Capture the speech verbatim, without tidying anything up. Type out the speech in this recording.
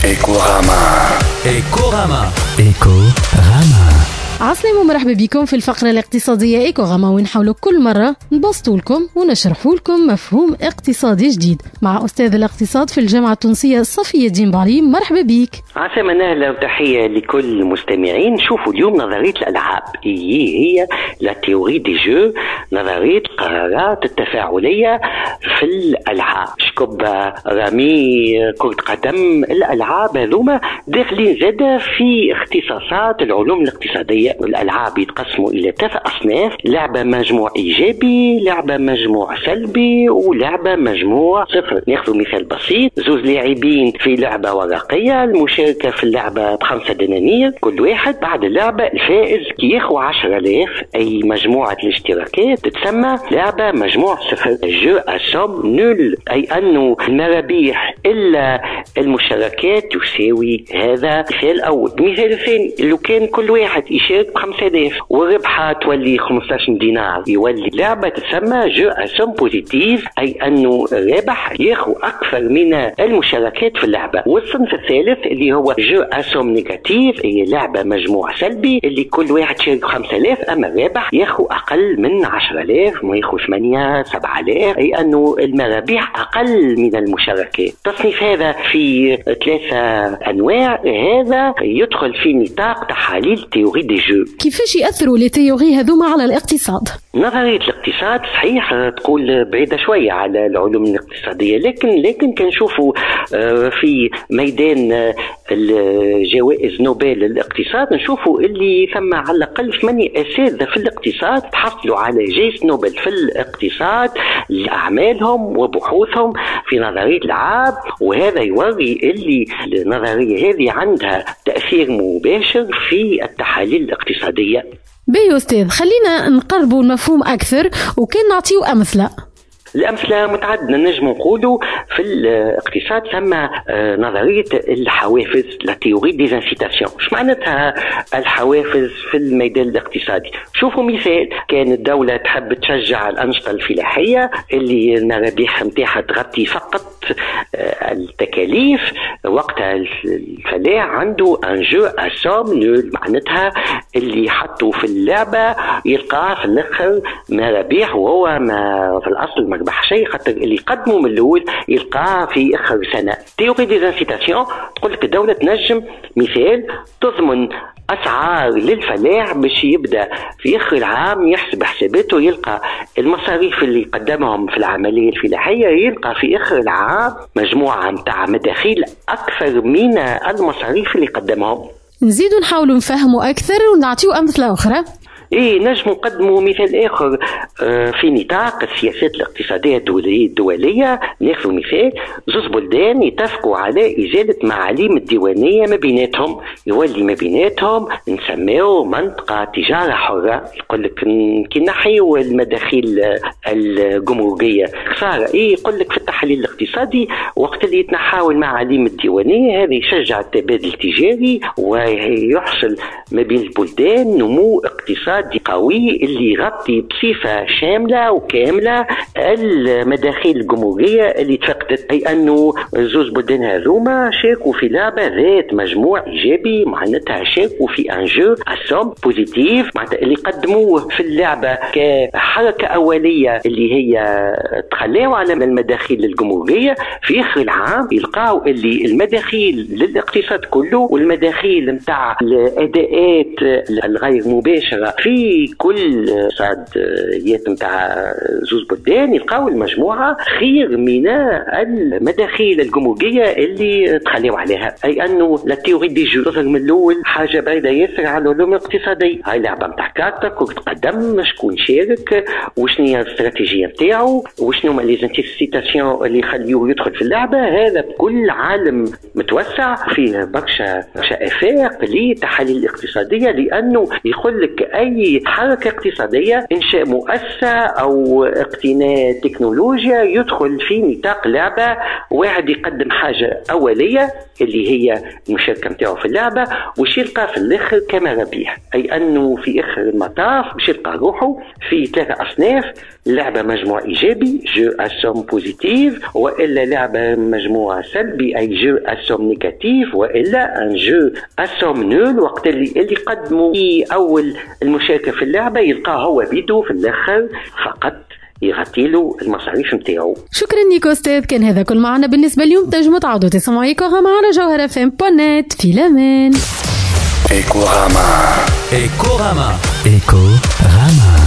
إيكوراما. إيكوراما. إيكوراما. عسلامة ومرحبا بكم في الفقرة الاقتصادية إيكوراما، ونحاولوا كل مرة نبسطوا لكم ونشرحوا لكم مفهوم اقتصادي جديد مع أستاذ الاقتصاد في الجامعة التونسية صفي الدين بعلي. مرحبا بك. عسلامة نهلة وتحية لكل المستمعين. شوفوا اليوم نظرية الألعاب هي هي la théorie des jeux، نظرية القرارات التفاعلية في الألعاب، شكوبة، رمي، كرة قدم، الألعاب هذوما داخلين زادة في اختصاصات العلوم الاقتصادية. الألعاب يتقسموا إلى ثلاثة أصناف: لعبة مجموع إيجابي، لعبة مجموع سلبي، ولعبة مجموع صفر. ناخذ مثال بسيط: زوز لاعبين في لعبة ورقية، المشاركة في اللعبة بخمسة دنانير كل واحد. بعد اللعبة الفائز ياخذ عشرة آلاف، أي مجموعة الاشتراكات تتسمى لعبة مجموع صفر، jeu à somme nulle، أي أنه المرابيح إلا المشاركات تساوي. هذا مثال أول. المثال الثاني، لو كان كل واحد يشارك بخمسة آلاف والربحة تولي خمسة عشر دينار، يولي لعبة تسمى jeu à somme positive، أي أنه الرابح ياخذ أكثر من المشاركات في اللعبة. والصنف الثالث اللي هو jeu à somme négative، هي لعبة مجموع سلبي اللي كل واحد شارك بخمسة آلاف، أما الرابح ياخذ أقل من عشرة آلاف، ما ياخذ ثمانية سبعة آلاف، أي أنه المرابح أقل من المشاركات. التصنيف هذا في ثلاثة أنواع، هذا يدخل في نطاق تحاليل théorie des jeux. كيفاش يأثروا les théories هذوما على الاقتصاد؟ نظرية الاقتصاد صحيح تقول بعيدة شوية على العلوم الاقتصادية، لكن لكن كنشوفوا في ميدان الجوائز نوبل للاقتصاد نشوفوا اللي ثم على الأقل ثمانية أساتذة في الاقتصاد تحصلوا على جائزة نوبل في الاقتصاد لأعمالهم وبحوثهم في نظرية الألعاب، وهذا يوري اللي النظرية هذه عندها تأثير مباشر في التحاليل الاقتصادية. باهي أستاذ، خلينا نقربوا المفهوم أكثر وكان نعطيو أمثلة. الأمثلة متعددة، نجم نقولوا في الاقتصاد ثم نظرية الحوافز، la théorie des incitations. اش معناتها الحوافز في الميدان الاقتصادي؟ شوفوا مثال، كان الدولة تحب تشجع الأنشطة الفلاحية اللي المرابح نتاعها تغطي فقط التكاليف، وقتها الفلاح عنده un jeu à somme nulle، معناتها اللي حطوا في اللعبة يلقاه في الآخر مرابح وهو ما في الأصل ما ربح شيء، خاطر اللي قدموا من الاول يلقاه في اخر سنة. théorie des incitations تقول لك الدولة تنجم مثال تضمن اسعار للفلاح باش يبدا في اخر العام يحسب حساباته، يلقى المصاريف اللي قدمهم في العملية الفلاحية، يلقى في اخر العام مجموعة نتاع مداخيل اكثر من المصاريف اللي قدمهم. نزيدوا نحاولوا نفهموا اكثر ونعطيو امثلة اخرى. ايه، نجم نقدموا مثال اخر في نطاق السياسات الاقتصادية الدولية. ناخذ مثال، زوز بلدان يتفقوا على ازالة معاليم الديوانيه ما بيناتهم، يولي ما بيناتهم نسميو منطقة تجارة حره. يقول لك كي نحيو المداخيل الجمركيه خسارة. ايه، يقول لك في التحليل الاقتصادي وقت اللي يتنحاو المعاليم الديوانيه هذا يشجع التبادل التجاري ويحصل ما بين البلدان نمو اقتصادي قوي اللي يغطي بصفة شاملة وكاملة المداخيل الجمركية اللي تفقدت. أي أنه زوز بلدان هذوما شاركوا في لعبة ذات مجموع إيجابي، معناتها شاركوا في un jeu à somme positive، معناتها اللي قدموه في اللعبة كحركة أولية اللي هي تخلاو على المداخيل الجمركية، في آخر العام يلقاو اللي المداخيل للاقتصاد كله والمداخيل نتاع الأداءات الغير مباشرة في كل اقتصاديات نتاع زوز بلدان يلقاو المجموعة خير من المداخيل الجمركية اللي تخليو عليها. أي أنه la théorie des jeux تظهر من الأول حاجة بعيدة ياسر على العلوم الاقتصادية. هاي لعبة نتاع كارتا، كرة قدم، شكون شارك وشنو هي الاستراتيجية نتاعو وشنو هما les incitations اللي يخليوه يدخل في اللعبة. هذا بكل عالم متوسع فيه برشا برشا آفاق للتحاليل الاقتصادية، لأنه يقول لك أي اي حركة اقتصادية، انشاء مؤسسة او اقتناء تكنولوجيا، يدخل في نطاق لعبه. واحد يقدم حاجة اوليه اللي هي المشاركة نتاعو في اللعبة، وش يلقى في الاخر كما ربيح، اي انه في اخر المطاف باش يلقى روحه في ثلاثة اصناف: لعبه مجموع ايجابي jeu à somme positive، والا لعبه مجموع سلبي اي jeu à somme négative، والا un jeu à somme nulle، وقت اللي اللي قدموا في اول المشاركة في اللعبة يلقاه هو بيدو في الاخر فقط يغطي له المصاريف نتاعو. شكرا لك استاذ، كان هذا كل معنا بالنسبة اليوم. تنجموا تعودوا تسمعوا Ecorama على جوهرة FM point net. في الامان. Ecorama. Ecorama. Ecorama.